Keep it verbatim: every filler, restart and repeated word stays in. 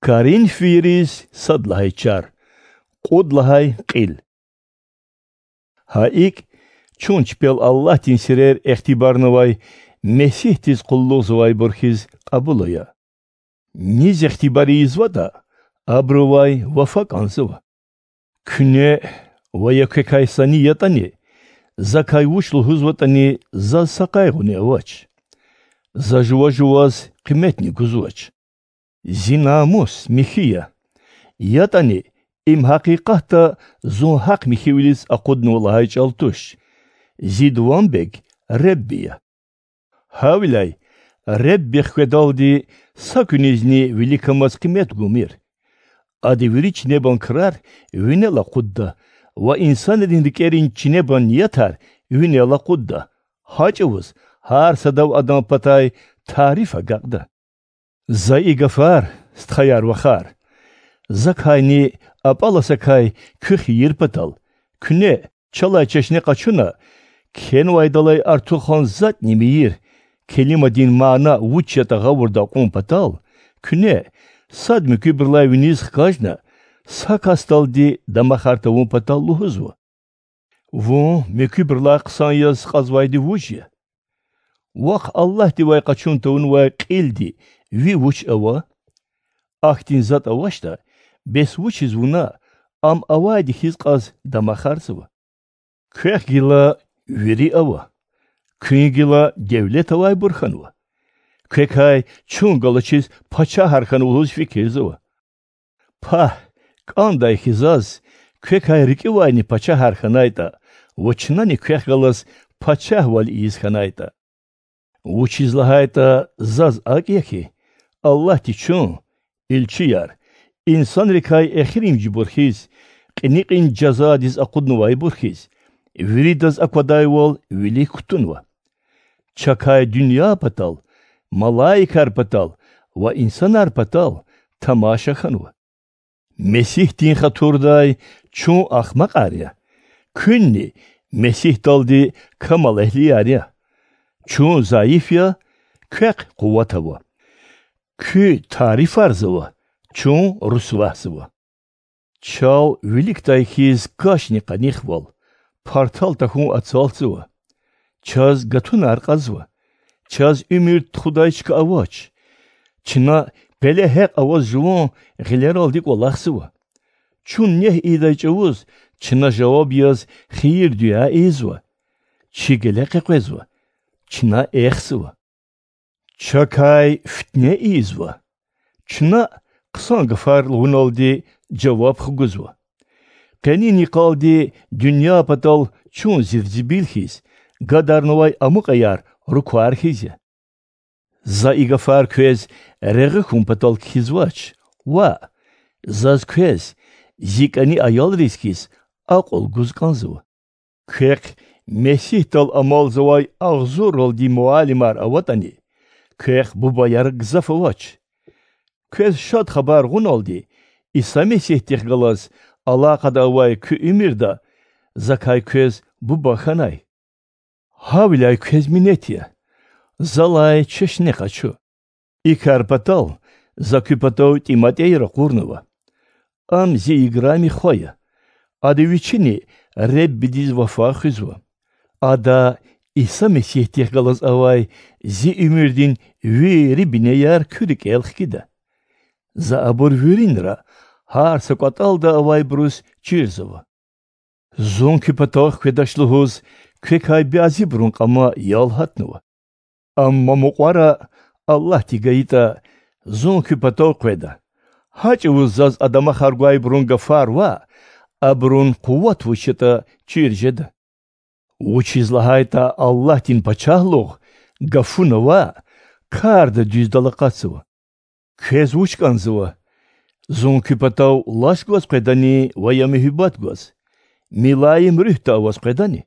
Коринф вийриз сад лагьай чар, кьуд лагьай кьил. Гьа икӀ, чун чпел Аллагьдин сирер ихтибарнавай Месигьдиз къуллугъзавайбур хьиз кьабул ая. Низ ихтибар ийизватӀа, абурувай вафа кӀанзава. Куьне ва я квекай са ни ятӀани, закай вуч лугьузватӀани, заз са къайгъуни авач. За жува-жуваз къиметни гузвач. Зи намус михьи я. ЯтӀани, им гьакъикъатда зун гьахъ-михьивилиз акъуднава лагьай чӀал туш. Зи дуванбег Ребби я. Гьавиляй Ребби хкведалди са куьнизни виликамаз къимет гумир. Ада вири чинебан крар винел акъудда ва инсанрин рикӀерин чинебан ниятар винел акъудда, гьа чӀавуз гьар садав адан патай тариф агакьда. За и гафар, стхаяр-вахар, закайни а пӀаласакай куьх ийир патал, куьне, чалай чешне къачуна, кхьенвайдалай артухан затӀни мийир, келимадин мана вуч ятӀа гъавурда акьун патал, куьне, сад муькуьбурулай виниз хкажна, са касдалди дамахар тавун патал лугьузва: Вун муькуьбурулай хъсан яз кьазвайди вуж я? Вахъ Аллагьдивай къачун тавунвай кьилди ви вуч ава? Ахьтин затӀ авачтӀа, бес вучиз вуна ам авайди хьиз кьаз дамахарзава? Квехъ гила вири ава, куьн гила девлет авайбур хьанва. Квекай чун галачиз пачагьар хьанва лугьуз фикирзава. Пагь, кӀандай хьи заз, квекай рикӀивайни пачагьар хьанайтӀа ва чнани квехъ галаз пачагьвал ийиз хьанайтӀа. Вучиз лагьайтӀа заз акӀ я хьи, Аллагьди чун, илчияр, инсанрикай эхиримжибур хьиз, кьиникьин жазадиз акъуднавайбур хьиз, виридаз аквадайвал вилик кутунва. Чакай дуьнья патал, малаикар патал ва инсанар патал тамаша хьанва. Месигьдин хатурдай чун ахмакьар я, куьнни Месигьдалди камалэгьлияр я. Чун зайиф я, квехъ къуват ава. Куь тарифарзава, чун русвагьзава. Чал виликдай хьиз кашни къанихвал, партал тахьун ацалтзава. Чаз гатунар кьазва. Чаз уьмуьр тухудай чка авач. Чна пеле гьекь аваз жуван гъилералди кӀвалахзава. Чун негь ийидай чӀавуз чна жаваб яз хийир-дуьа ийизва. Чи геле къекъвезва, чна эхзава. Чакай фитне ийизва. Чна, хъсан гафар лугьуналди, жаваб хгузва. Къенин йикъалди дуьнья патал чун зирзибил хьиз, гадарнавай амукьаяр руквар хьиз я. За и гафар квез регъуь хьун патал кхьизвач, ваъ, заз квез, зи кӀани аялриз хьиз, акьул гуз кӀанзава. Квехъ Месигьдал амалзавай агъзурралди муаллимар аватӀани, квехъ бубаяр гзаф авач. Квез Шад Хабар гъуналди Иса Месигьдихъ галаз алакъада авай куь уьмуьрда закай квез буба хьанай. Гьавиляй квез минет я, залай чешне къачу. И кар патал за куь патав ТӀиматӀей ракъурнава. Ам зи играми хва я. Ада вичини Реббидиз вафа хуьзва. Ада Иса Месигьдихъ галаз авай зи уьмуьрдин вири бинеяр куь рикӀел хкида. За абур виринра, гьар са кӀватӀалда авайбуруз чирзава. Зун куь патав хкведач лугьуз, квекай бязибурун кьама ял гьатнава. Амма мукьвара, Аллагьди гайитӀа, зун куь патав къведа. Гьа чӀавуз заз а дамахар гвайбурун гафар ваъ, абурун къуват вуч ятӀа чир жеда. Вучиз лагьайтӀа Аллагьдин пачагьлугъ гафуна ваъ, карда дуьздал акъатзава. Квез вуч кӀанзава? Зун куь патав лаш гваз къведани ва я муьгьуьббат гваз, милаим руьгьда аваз къведани?